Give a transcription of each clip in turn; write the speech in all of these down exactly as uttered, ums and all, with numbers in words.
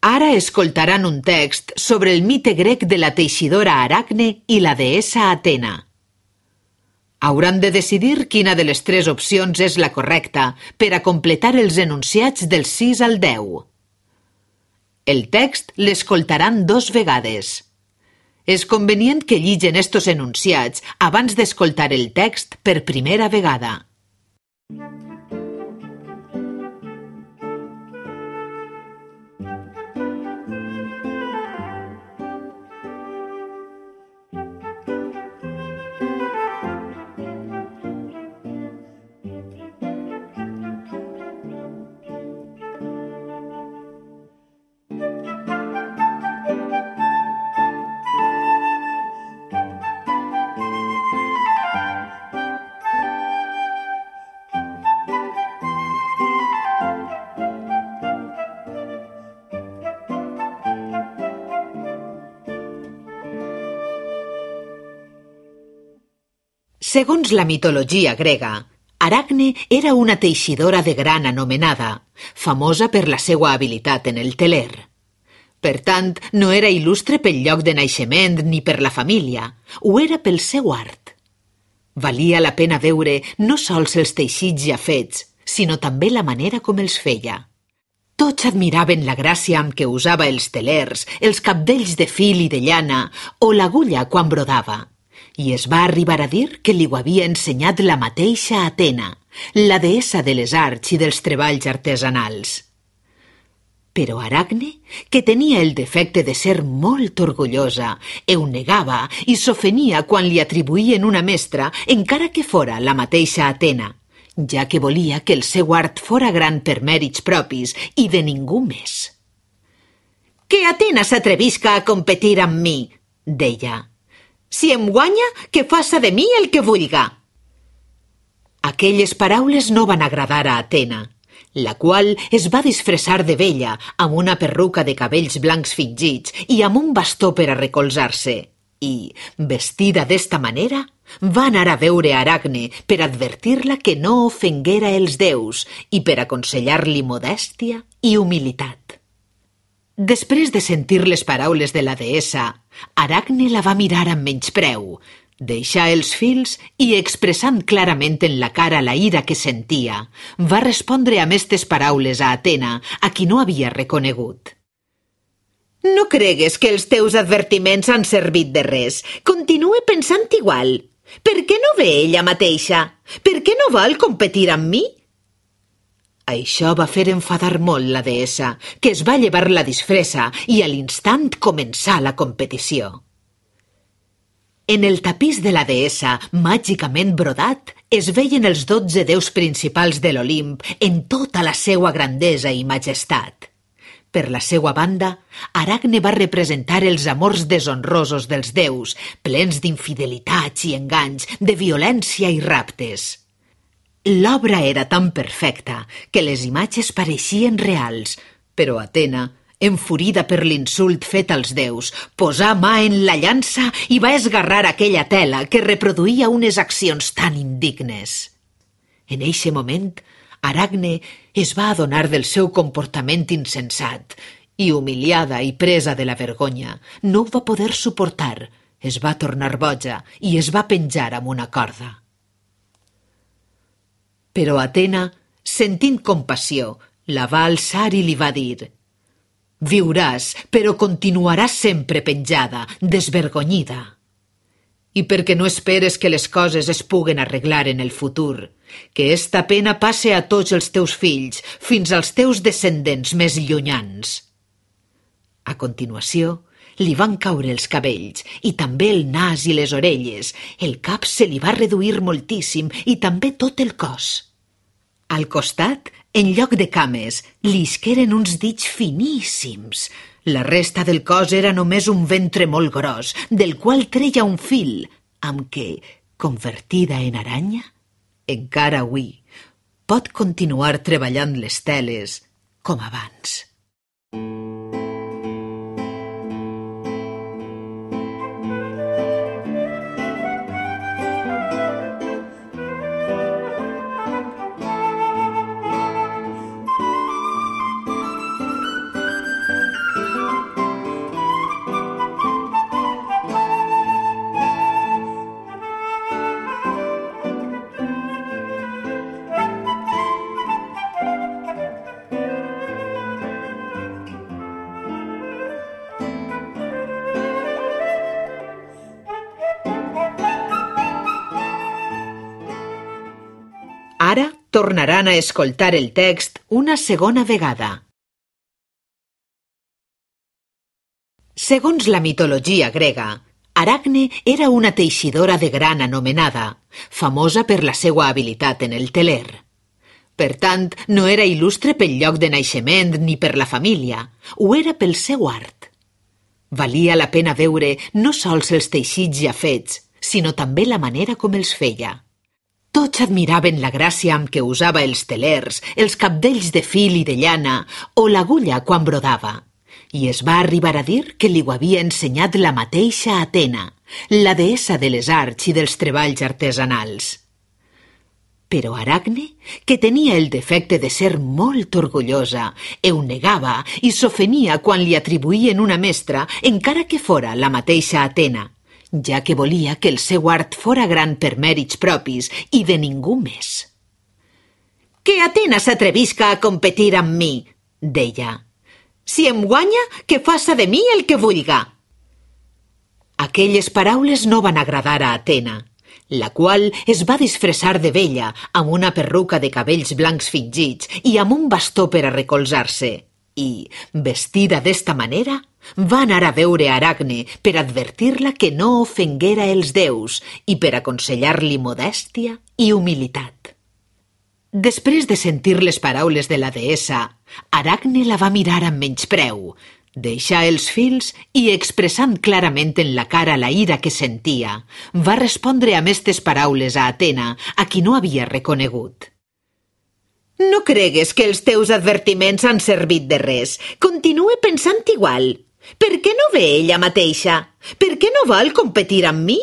Ara escoltaran un text sobre el mite grec de la teixidora Aracne i la deessa Atena. Hauran de decidir quina de les tres opcions és la correcta per a completar els enunciats del sis al deu. El text l'escoltaran dos vegades. És convenient que lligen estos enunciats abans d'escoltar el text per primera vegada. Segons la mitologia grega, Aracne era una teixidora de gran anomenada, famosa per la seva habilitat en el teler. Per tant, no era il·lustre pel lloc de naixement ni per la família, ho era pel seu art. Valia la pena veure no sols els teixits ja fets, sinó també la manera com els feia. Tots admiraven la gràcia amb què usava els telers, els cabdells de fil i de llana o l'agulla quan brodava. I es va arribar a dir que li ho havia ensenyat la mateixa Atena, la deessa de les arts i dels treballs artesanals. Però Aracne, que tenia el defecte de ser molt orgullosa, ho negava i s'ofenia quan li atribuïen una mestra, encara que fora la mateixa Atena, ja que volia que el seu art fora gran per mèrits propis i de ningú més. «Que Atena s'atrevisca a competir amb mi», deia. «Si em guanya, que faça de mi el que vulga». Aquelles paraules no van agradar a Atena, la qual es va disfressar de vella amb una perruca de cabells blancs fingits i amb un bastó per a recolzar-se. I, vestida d'esta manera, va anar a veure Aracne per advertir-la que no ofenguera els déus i per aconsellar-li modèstia i humilitat. Després de sentir les paraules de la deessa, Aracne la va mirar amb menyspreu, deixar els fils i, expressant clarament en la cara la ira que sentia, va respondre amb estes paraules a Atena, a qui no havia reconegut. «No cregues que els teus advertiments han servit de res. Continue pensant igual. Per què no ve ella mateixa? Per què no vol competir amb mi?» Això va fer enfadar molt la deessa, que es va llevar la disfressa i a l'instant començà la competició. En el tapís de la deessa, màgicament brodat, es veien els dotze déus principals de l'Olimp en tota la seua grandesa i majestat. Per la seua banda, Aracne va representar els amors deshonrosos dels déus, plens d'infidelitats i enganys, de violència i raptes. L'obra era tan perfecta que les imatges pareixien reals, però Atena, enfurida per l'insult fet als déus, posà mà en la llança i va esgarrar aquella tela que reproduïa unes accions tan indignes. En eixe moment, Aracne es va adonar del seu comportament insensat i, humiliada i presa de la vergonya, no ho va poder suportar, es va tornar boja i es va penjar amb una corda. Però Atena, sentint compassió, la va alçar i li va dir: «Viuràs, però continuaràs sempre penjada, desvergonyida. I perquè no esperes que les coses es puguen arreglar en el futur, que esta pena passe a tots els teus fills, fins als teus descendents més llunyans». A continuació, li van caure els cabells i també el nas i les orelles, el cap se li va reduir moltíssim i també tot el cos. Al costat, en lloc de cames, li isqueren uns dits finíssims. La resta del cos era només un ventre molt gros, del qual treia un fil, amb què, convertida en aranya, encara avui pot continuar treballant les teles com abans. tornaran a escoltar el text una segona vegada. Segons la mitologia grega, Aracne era una teixidora de gran anomenada, famosa per la seva habilitat en el teler. Per tant, no era il·lustre pel lloc de naixement ni per la família, ho era pel seu art. Valia la pena veure no sols els teixits ja fets, sinó també la manera com els feia. Tots admiraven la gràcia amb què usava els telers, els cabdells de fil i de llana o l'agulla quan brodava. I es va arribar a dir que li ho havia ensenyat la mateixa Atena, la deessa de les arts i dels treballs artesanals. Però Aracne, que tenia el defecte de ser molt orgullosa, ho negava i s'ofenia quan li atribuïen una mestra, encara que fora la mateixa Atena, ja que volia que el seu art fora gran per mèrits propis i de ningú més. «Que Atena s'atrevisca a competir amb mi», deia. «Si em guanya, que faça de mi el que vulga». Aquelles paraules no van agradar a Atena, la qual es va disfressar de vella amb una perruca de cabells blancs fingits i amb un bastó per a recolzar-se. I, vestida d'esta manera, va anar a veure Aracne per advertir-la que no ofenguera els déus i per aconsellar-li modèstia i humilitat. Després de sentir les paraules de la deessa, Aracne la va mirar amb menyspreu, deixar els fils i, expressant clarament en la cara la ira que sentia, va respondre amb estes paraules a Atena, a qui no havia reconegut. «No cregues que els teus advertiments han servit de res. Continue pensant igual. Per què no ve ella mateixa? Per què no vol competir amb mi?»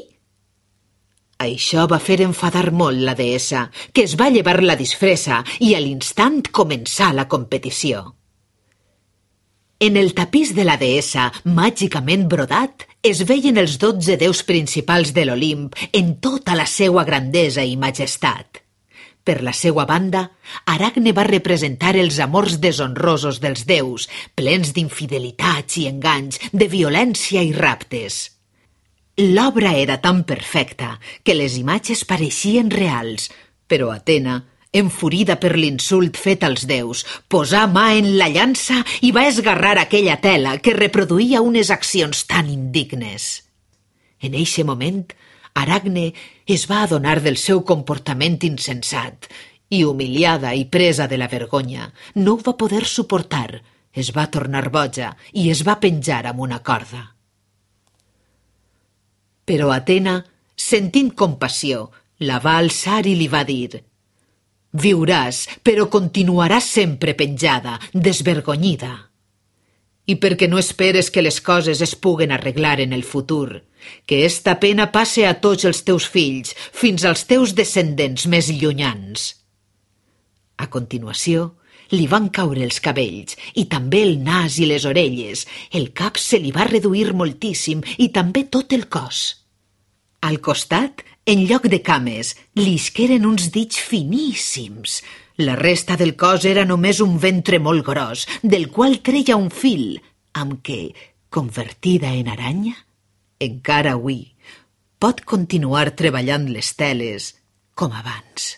Això va fer enfadar molt la deessa, que es va llevar la disfressa i a l'instant començà la competició. En el tapís de la deessa, màgicament brodat, es veien els dotze déus principals de l'Olimp en tota la seua grandesa i majestat. Per la seua banda, Aracne va representar els amors deshonrosos dels déus, plens d'infidelitats i enganys, de violència i raptes. L'obra era tan perfecta que les imatges pareixien reals, però Atena, enfurida per l'insult fet als déus, posà mà en la llança i va esgarrar aquella tela que reproduïa unes accions tan indignes. En eixe moment, Aracne es va adonar del seu comportament insensat i, humiliada i presa de la vergonya, no ho va poder suportar, es va tornar boja i es va penjar amb una corda. Però Atena, sentint compassió, la va alçar i li va dir: «Viuràs, però continuaràs sempre penjada, desvergonyida. I perquè no esperes que les coses es puguen arreglar en el futur, que esta pena passe a tots els teus fills, fins als teus descendents més llunyans». A continuació, li van caure els cabells i també el nas i les orelles, el cap se li va reduir moltíssim i també tot el cos. Al costat, en lloc de cames, li isqueren uns dits finíssims. La resta del cos era només un ventre molt gros, del qual treia un fil, amb què, convertida en aranya, encara avui pot continuar treballant les teles com abans.